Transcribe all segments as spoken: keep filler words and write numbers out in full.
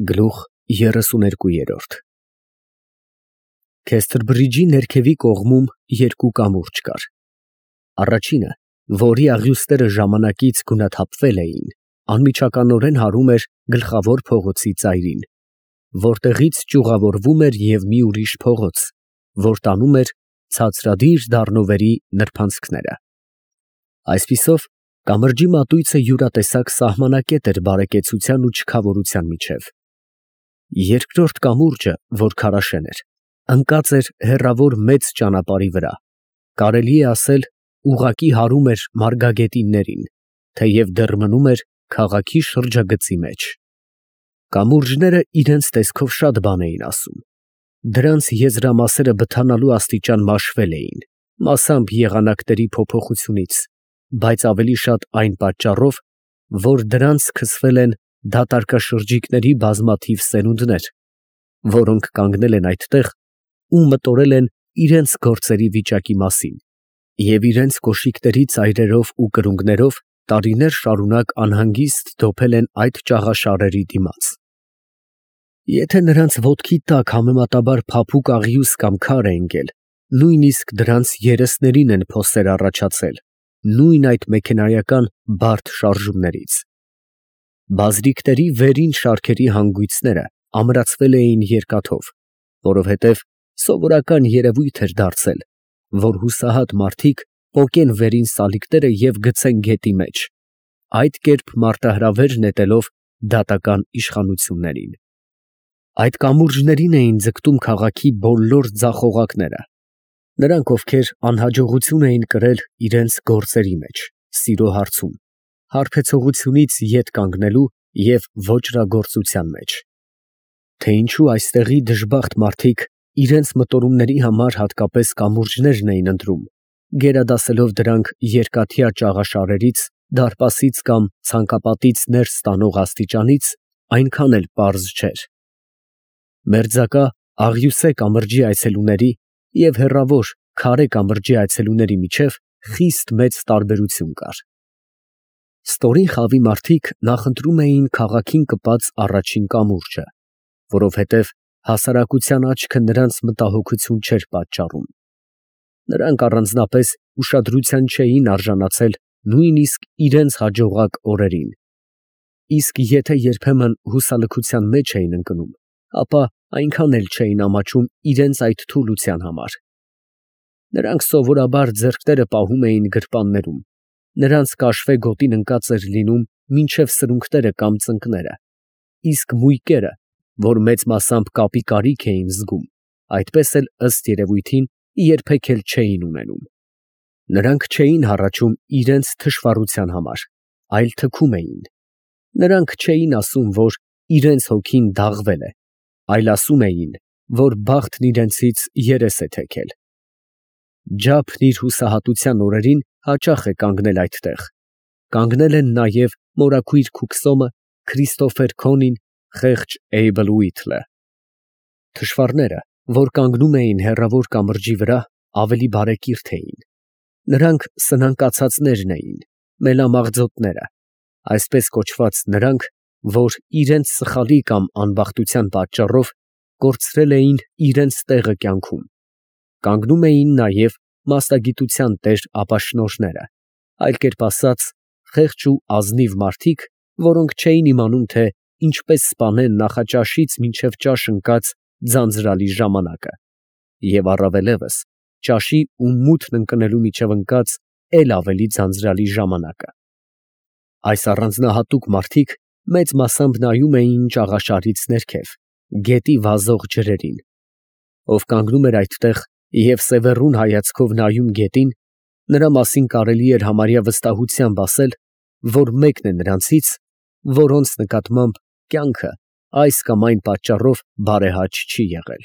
Գլուխ երեսուներկու Քեստրբրիջի ներքևի կողմում երկու կամուրջ կար. առաջինը, որի աղյուսները ժամանակից գունաթափվել էին, անմիջականորեն հարում էր գլխավոր փողոցի ծայրին, որտեղից ճյուղավորվում էր և մի ուրիշ փողոց, որ տանում էր ցածրադիր դառնովերի նրբանցքները։ Այսպիսով, կամրջի մատույցը յուրատեսակ սահմանակետ էր բարեկեցության ու չքավորության միջև։ Երկրորդ կամուրջը, որ քարաշեն էր, ընկած էր հեռավոր մեծ ճանապարհի վրա, կարելի է ասել ուղղակի հարում էր մարգագետիններին, թեև դեռ մնում էր քաղաքի շրջագծի մեջ։ Կամուրջները իրենց տեսքով շատ բան էին ասում. դրանց եզրամասերը բթանալու աստիճան մաշվել էին, մասամբ եղանակների փոփոխությունից, բայց ավելի շատ այն պատճառով, որ դրանց քսվել են դատարկաշրջիկների բազմաթիվ սերունդներ, որոնք կանգնել են այդտեղ ու մտորել են իրենց գործերի վիճակի մասին և իրենց կոշիկների ծայրերով ու կրունկներով տարիներ շարունակ անհանգիստ դոփել են այդ ճաղաշարերի դիմաց։ Եթե նրանց ոտքի տակ համեմատաբար փափուկ աղյուս կամ քար է ընկել, նույնիսկ դրանց երեսներին են փոսեր առաջացել, նույն այդ մեքենայական բարդ շարժումներից։ Բազրիքների վերին շարքերի հանգույցները ամրացվել էին երկաթով, որովհետև սովորական երևույթ էր դարձել, որ հուսահատ մարդիկ պոկեն վերին սալիկները և գցեն գետի մեջ, այդ կերպ մարտահրավեր նետելով դատական իշխանություններին։ Այդ կամուրջներին էին ձգտում քաղաքի բոլոր ձախողակները, նրանք, ովքեր անհաջողություն էին կրել իրենց գործերի մեջ, սիրո հարցում, հարբեցողությունից ետ կանգնելու և ոճրագործության մեջ։ Թե ինչու այստեղի դժբախտ մարդիկ իրենց մտորումների համար հատկապես կամուրջներն էին ընտրում, գերադասելով դրանք երկաթյա ճաղաշարերից, դարպասից կամ ցանկապատից ներս տանող աստիճանից, այնքան էլ պարզ չէր։ Մերձակա աղյուսե կամրջի այցելուների և հեռավոր քարե կամրջի այցելուների միջև խիստ մեծ տարբերություն կար։ Ստորին խավի մարդիկ նախընտրում էին քաղաքին կպած առաջին կամուրջը, որովհետև հասարակության աչքը նրանց մտահոգություն չէր պատճառում։ Նրանք առանձնապես ուշադրության չէին արժանացել նույնիսկ իրենց հաջողակ օրերին, իսկ եթե երբեմն հուսալքության մեջ էին ընկնում, ապա այնքան էլ չէին ամաչում իրենց այդ թուլության համար։ Նրանք սովորաբար ձեռքները պահում էին գրպաններում, նրանց կաշվե գոտին ընկած էր լինում մինչև սրունքները կամ ծնկները, իսկ մույկերը, որ մեծ մասամբ կապի կարիք էին զգում, այդպես էլ ըստ երևույթին երբեք էլ չէին ունենում։ Նրանք չէին հառաչում իրենց թշվառության համար, այլ թքում էին։ Նրանք չէին ասում, որ իրենց հոգին դաղվել է, այլ ասում էին, որ բախտն իրենցից երես է թեքել։ Ջափն իր հուսահատության օրերին հաճախ է կանգնել այդտեղ, կանգնել են նաև մորաքույր Քուքսոմը, Քրիստոֆեր Քոնին, խեղճ Էյբլ Ուիթլը։ Թշվառները, որ կանգնում էին հեռավոր կամրջի վրա, ավելի բարեկիրթ էին։ Նրանք սնանկացածներն էին, մելամաղձոտները, այսպես կոչված նրանք, որ իրենց սխալի կամ անբախտության պատճառով կորցրել էին իրենց տեղը կյանքում։ Կանգնում էին նաև մասնագիտության տեր ապաշնորհները, այլ կերպ ասած, խեղճ ու ազնիվ մարդիկ, որոնք չէին իմանում, թե ինչպես սպանեն նախաճաշից մինչև ճաշ ընկած ձանձրալի ժամանակը, և առավելևս ճաշի ու մութն ընկնելու միջև ընկած էլ ավելի ձանձրալի ժամանակը։ Այս առանձնահատուկ մարդիկ մեծ մասամբ նայում էին ճաղաշարից ներքև, գետի վազող ջրերին։ Ով կանգնում էր այդտեղ և սևեռուն հայացքով նայում գետին, նրա մասին կարելի էր համարյա վստահությամբ ասել, որ մեկն է նրանցից, որոնց նկատմամբ կյանքը այս կամ այն պատճառով բարեհաճ չի եղել։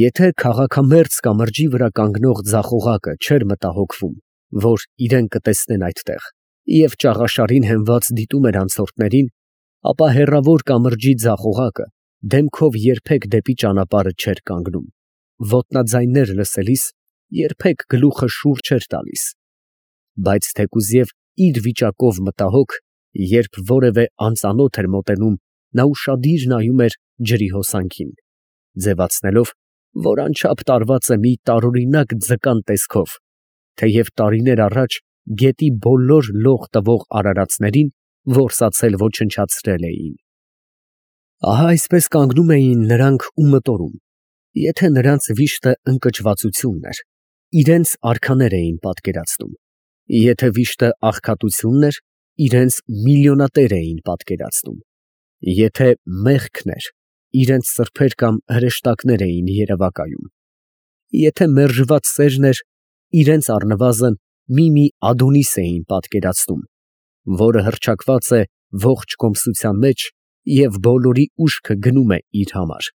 Եթե քաղաքամերձ կամրջի վրա կանգնող ձախողակը չէր մտահոգվում, որ իրեն կտեսնեն այդտեղ, և ճաղաշարին հենված դիտում էր անցորդներին, ապա հեռավոր կամրջի ձախողակը դեմքով երբեք դեպի ճանապարհը չէր կանգնում, ոտնաձայններ լսելիս երբեք գլուխը շուռ չէր տալիս։ Բայց թեկուզև իր վիճակով մտահոգ, երբ որևէ անծանոթ էր մոտենում նա ուշադիր նայում էր ջրի հոսանքին, ձևացնելով, որ անչափ տարված է մի տարօրինակ ձկան տեսքով, թեև տարիներ առաջ գետի բոլոր լող տվող արարածներին որսացել ոչնչացրել էին։ Ահա այսպես կանգնում էին նրանք ու մտորում, եթե նրանց վիշտը ընկճվածությունն էր, իրենց արքաներ էին պատկերացնում, եթե վիշտը աղքատությունն էր, իրենց միլիոնատեր էին պատկերացնում, եթե մեղքն էր, իրենց սրբեր կամ հրեշտակներ էին երևակայում, եթե մերժված սերն էր, իրենց առնվազն մի-մի Ադոնիս էին պատկերացնում, որը հռչակված է ողջ կոմսության մեջ և բոլորի ուշքը գնում է իր համար։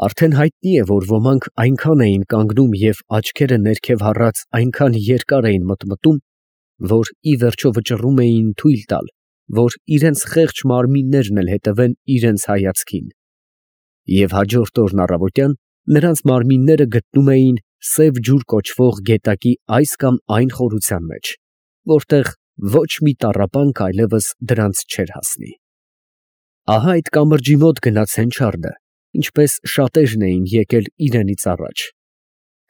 Արդեն հայտնի է, որ ոմանք այնքան էին կանգնում և աչքերը ներքև հառած այնքան երկար էին մտմտում, որ ի վերջո վճռում էին թույլ տալ, որ իրենց խեղճ մարմիններն էլ հետևեն իրենց հայացքին։ Եվ հաջորդ օրն առավոտյան նրանց մարմինները գտնում էին Սև ջուր կոչվող գետակի այս կամ այն խորության մեջ, որտեղ ոչ մի տառապանք այլևս դրանց չէր հասնի։ Ահա այդ կամրջի մոտ գնաց Հենչարդը, ինչպես շատերն էին եկել իրենից առաջ,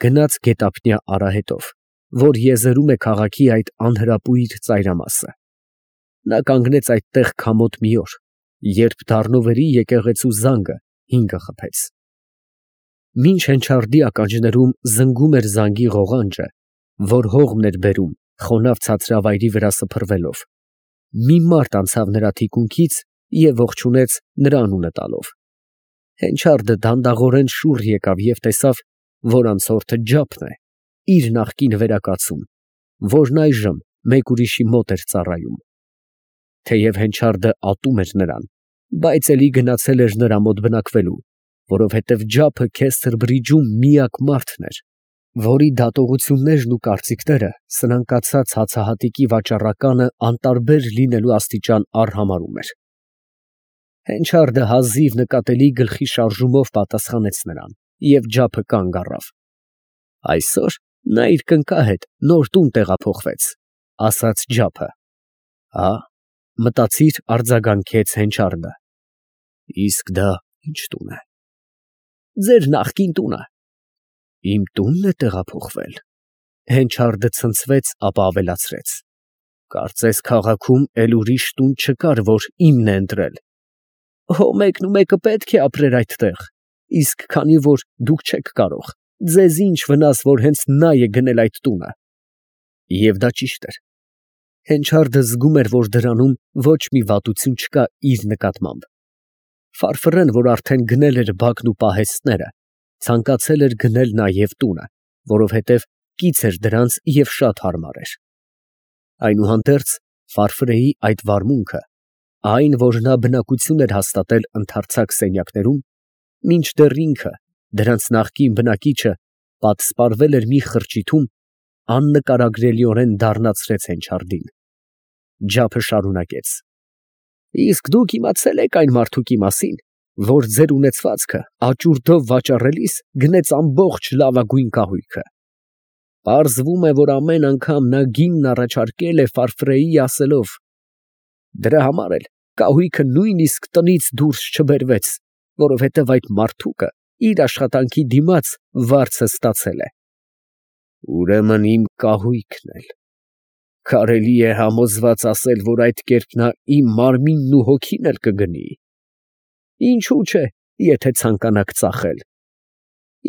գնաց գետափնյա արահետով, որ եզերում է քաղաքի այդ անհրապույր ծայրամասը։ Նա կանգնեց այդտեղ քամոտ մի օր, երբ դառնովերի եկեղեցու զանգը հինգը խփեց։ Մինչ Հենչարդի ականջներում զնգում էր զանգի ղողանջը, որ հողմն էր բերում խոնավ ցածրավայրի վրա սփռվելով, մի մարդ անցավ նրա թիկունքից և ողջունեց նրա անունը տալով։ Հենչարդը դանդաղորեն շուռ եկավ և տեսավ, որ անցորդը Ջափն է, իր նախկին վերակացուն, որն այժմ մեկ ուրիշի մոտ էր ծառայում։ Թեև Հենչարդը ատում էր նրան, բայց էլի գնացել էր նրա մոտ բնակվելու, որովհետև Ջափը Քեսթր բրիջում միակ մարդն էր, որի դատողություններն ու կարծիքները սնանկացած հացահատիկի վաճառականը անտարբեր լինելու աստիճան արհամարհում էր։ Հենչարդը հազիվ նկատելի գլխի շարժումով պատասխանեց նրան, և Ջափը կանգ առավ։ Այսօր նա իր կնկա հետ նոր տուն տեղափոխվեց, ասաց Ջափը։ Հա, մտածիր, արձագանքեց Հենչարդը, իսկ դա ի՞նչ տուն է։ Ձեր նախկին տունը։ Իմ տունն է տեղափոխվել։ Հենչարդը ցնցվեց, ապա ավելացրեց. Կարծես քաղաքում էլ ուրիշ տուն չկար, որ իմն է ընտրել։ Հո մեկն ու մեկը պետք է ապրեր այդտեղ, իսկ քանի որ դուք չեք կարող, ձեզ ինչ վնաս, որ հենց նա է գնել այդ տունը։ Եվ դա ճիշտ էր։ Հենչարդը զգում էր, որ դրանում ոչ մի վատություն չկա իր նկատմամբ։ Ֆարֆռեն, որ արդեն գնել էր բակն ու պահեստները, ցանկացել էր գնել նաև տունը, որովհետև կից էր դրանց և շատ հարմար էր։ Այնուհանդերձ Ֆարֆրեի այդ վարմունքը, այն, որ նա բնակություն էր հաստատել ընդարձակ սենյակներում, մինչդեռ ինքը, դրանց նախկին բնակիչը, պատսպարվել էր մի խրճիթում, աննկարագրելիորեն դառնացրեց Հենչարդին։ Ջափը շարունակեց. Իսկ դուք իմացե՞լ եք այն մարդուկի մասին, որ ձեր ունեցվածքը աճուրդով վաճառելիս գնեց ամբողջ լավագույն կահույքը։ Պարզվում է, որ ամեն անգամ նա գինն առաջարկել է Ֆարֆրեի ասելով. դրա համար էլ կահույքը նույնիսկ տնից դուրս չբերվեց, որովհետև այդ մարդուկը իր աշխատանքի դիմաց վարձը ստացել է։ Ուրեմն իմ կահույքն էլ։ Կարելի է համոզված ասել, որ այդ կերպ նա իմ մարմինն ու հոգին էլ կգնի։ Ինչու՞ չէ, եթե ցանկանաք ծախել։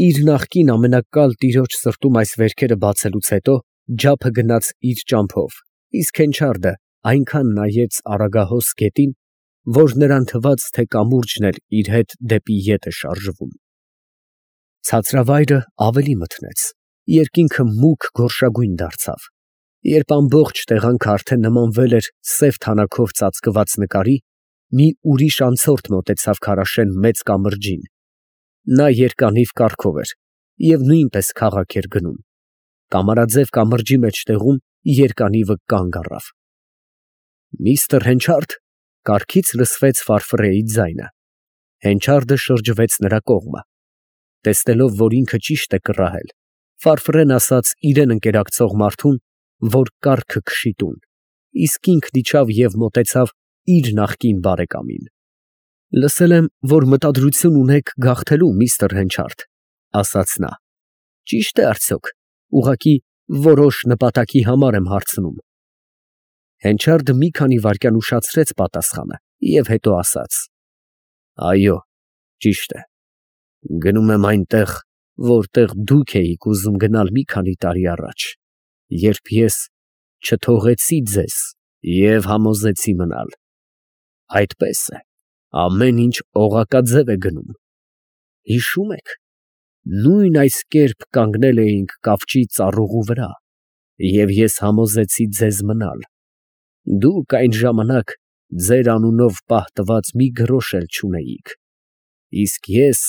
Իր նախկին ամենակալ տիրոջ սրտում այս վերքերը բացելուց հետո Ջափը գնաց իր ճամփով, իսկ Հենչարդը այնքան նայեց Արագահոս գետին, որ նրան թվաց, թե կամուրջն էլ իր հետ դեպի ետ է շարժվում։ Ցածրավայրը ավելի մթնեց, երկինքը մուգ գորշագույն դարձավ, երբ ամբողջ տեղանքը արդեն նմանվել էր սև թանաքով ծածկված նկարի, մի ուրիշ անցորդ մոտեցավ քարաշեն մեծ կամրջին։ Նա երկանիվ կառքով էր և նույնպես քաղաք էր գնում։ Կամարաձև կամրջի մեջտեղում երկանիվը կանգ առավ։ Միստր Հենչարդ, կառքից լսվեց Ֆարֆրեի ձայնը։ Հենչարդը շրջվեց նրա կողմը։ Տեսնելով, որ ինքը ճիշտ է կռահել, Ֆարֆրեն ասաց իրեն ընկերակցող մարդուն, որ կառքը քշի տուն, իսկ ինքն իջավ և մոտեցավ իր նախկին բարեկամին։ Լսել եմ, որ մտադրություն ունեք գաղթելու, միստր Հենչարդ, ասաց նա։ Ճիշտ է արդյոք, ուղղակի որոշ նպատակի համար եմ հարցնում։ Հենչարդը մի քանի վայրկյան ուշացրեց պատասխանը և հետո ասաց. Այո, ճիշտ է, գնում եմ այնտեղ, որտեղ դուք էիք ուզում գնալ մի քանի տարի առաջ, երբ ես չթողեցի ձեզ և համոզեցի մնալ։ Այդպես է, ամեն ինչ օղակաձև է գնում։ Հիշո՞ւմ եք, նույն այս կերպ կանգնել էինք կավճի ծառուղու վրա, և ես համոզեցի ձեզ մնալ։ Դուք այն ժամանակ ձեր անունով պահտված մի գրոշ էլ չունեիք, իսկ ես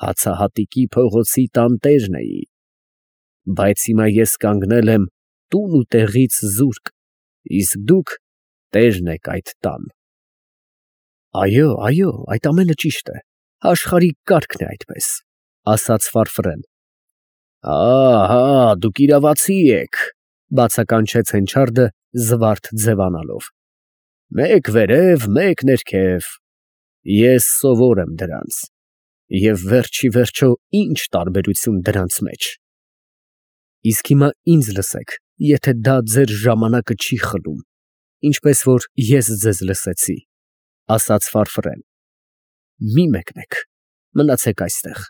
հացահատիկի փողոցի տանտերն էի, բայց հիմա ես կանգնել եմ տուն ու տեղից զուրկ, իսկ դուք տերն եք այդ տան։ Այո, այո, այդ ամենը ճիշտ է, աշխարհի կարգն է այդպես, ասաց Ֆարֆրեն։ Ահա, դուք իրավացի եք, բացականչեց Հենչարդը զվարթ ձևանալով։ Մեկ վերև, մեկ ներքև, ես սովոր եմ դրանց, և վերջի վերջո ի՞նչ տարբերություն դրանց մեջ։ Իսկ հիմա ինձ լսեք, եթե դա ձեր ժամանակը չի խլում, ինչպես որ ես ձեզ լսեցի, ասաց Ֆարֆրեն, մի մեկնեք, մնացեք այստեղ։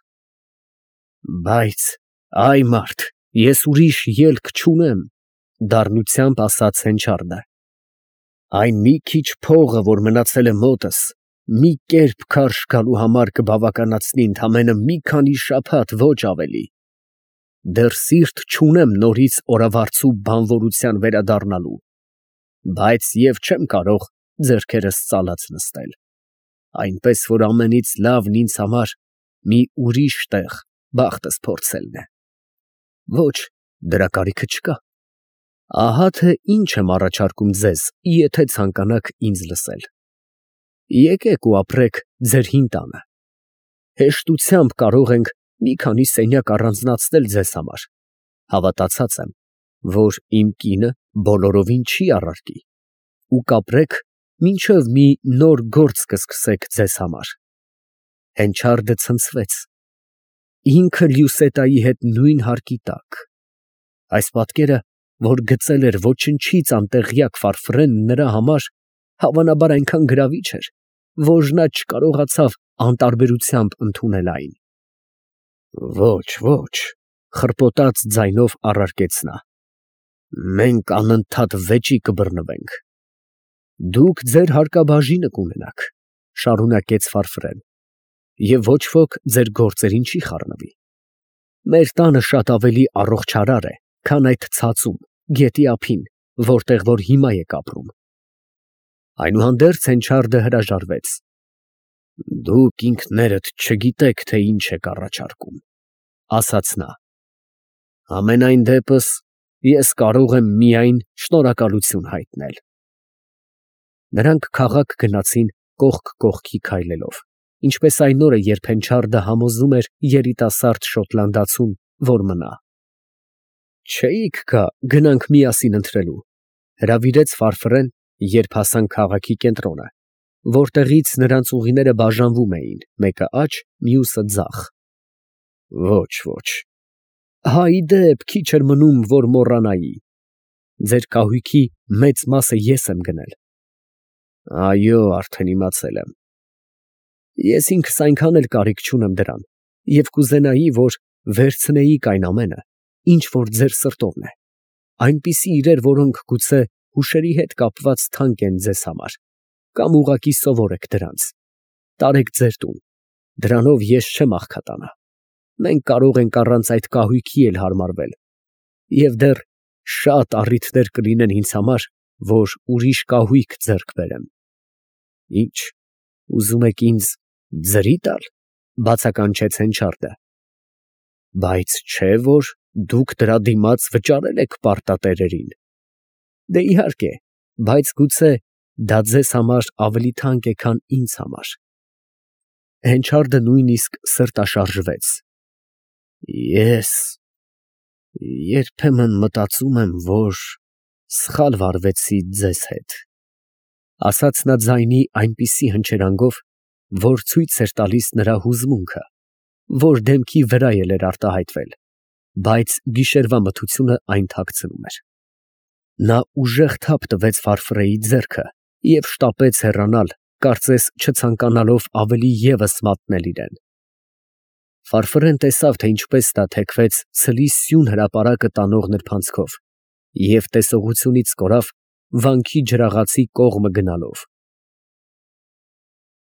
Բայց, այ մարդ, ես ուրիշ ելք չունեմ, դառնությամբ ասաց Հենչարդը։ Այն մի քիչ փողը, որ մնացել է մոտս, մի կերպ քարշ գալու համար կբավականացնի ընդամենը մի քանի շաբաթ, ոչ ավելի։ Դեռ սիրտ չունեմ նորից օրավարձու բանվորության վերադառնալու, բայց և չեմ կարող ձեռքերս ծալած նստել, այնպես որ ամենից լավն ինձ համար մի ուրիշ տեղ բախտս փորձելն է։ Ոչ, դրա կարիքը չկա։ Ահա թե ինչ եմ առաջարկում ձեզ, եթե ցանկանաք ինձ լսել։ Եկեք ու ապրեք ձեր հին տանը։ Հեշտությամբ կարող ենք մի քանի սենյակ առանձնացնել ձեզ համար, հավատացած եմ, որ իմ կինը բոլորովին չի առարկի, ու կապրեք, մինչև մի նոր գործ կսկսեք ձեզ համար։ Հենչարդը ցնցվեց, ինքը Լյուսետայի հետ նույն հարկի տակ։ Այս պատկերը, որ գծել էր ոչնչից անտեղյակ Ֆարֆրենը նրա համար, հավանաբար այնքան գրավիչ էր, որ նա չկարողացավ անտարբերությամբ ընդունել այն։ Ոչ, ոչ, խռպոտած ձայնով առարկեց նա, մենք անընդհատ վեճի կբռնվենք։ Դուք ձեր հարկաբաժինը կունենաք, շարունակեց Ֆարֆրեն, և ոչ ոք ձեր գործերին չի խառնվի։ Մեր տանը շատ ավելի առողջարար է, քան այդ ցածում, գետի ափին, որտեղ որ հիմա եք ապրում։ Այնուհանդերձ Հենչարդը հրաժարվեց։ Դուք ինքներդ չգիտեք, թե ինչ եք առաջարկում, ասաց նա։ Համենայն դեպս ես կարող եմ միայն շնորհակալություն հայտնել։ Նրանք քաղաք գնացին կողք կողքի քայլելով, ինչպես այն օրը, երբ Հենչարդը համոզում էր երիտասարդ շոտլանդացուն, որ մնա։ Չէի՞ք գա, գնանք միասին ընթրելու, հրավիրեց Ֆարֆրեն, երբ հասան քաղաքի կենտրոնը, որտեղից նրանց ուղիները բաժանվում էին, մեկը աջ, մյուսը ձախ։ Ոչ, ոչ։ Հա, ի դեպ, քիչ էր մնում, որ մոռանայի։ Ձեր կահույքի մեծ մասը ես եմ գնել։ Այո, արդեն իմացել եմ։ Ես ինքս այնքան էլ կարիք չունեմ դրան, և կուզենայի, որ վերցնեիք այն ամենը, ինչ որ ձեր սրտովն է, այնպիսի իրեր, որոնք գուցե հուշերի հետ կապված թանկ են ձեզ համար, կամ ուղղակի սովոր եք դրանց։ Տարեք ձեր տուն, դրանով ես չեմ աղքատանա։ Մենք կարող ենք առանց այդ կահույքի էլ հարմարվել, և դեռ շատ առիթներ կլինեն ինձ համար, որ ուրիշ կահույք ձեռք բերեմ։ Ինչ, ուզում եք ինձ ձրի տալ, բացականչեց Հենչարդը։ Բայց չէ՞ որ դուք դրա դիմաց վճարել եք պարտատերերին։ Դե իհարկե, բայց գուցե դա ձեզ համար ավելի թանկ է, քան ինձ համար։ Հենչարդը նույնիսկ սրտաշարժվեց։ Ես երբեմն մտածում եմ, որ սխալ վարվեցի ձեզ հետ, ասաց նա ձայնի այնպիսի հնչերանգով, որ ցույց էր տալիս նրա հուզմունքը, որ դեմքի վրա էլ էր արտահայտվել, բայց գիշերվա մթությունը այն թաքցնում էր։ Նա ուժեղ թափ տվեց Ֆարֆրեի ձեռքը և շտապեց հեռանալ, կարծես չցանկանալով ավելի ևս մատնել իրան։ Ֆարֆրեն տեսավ, թե ինչպես նա թեքվեց ցլի սյուն հրապարակը տանող նրբանցքով և տեսողությունից կորավ վանքի ջրաղացի կողմը գնալով։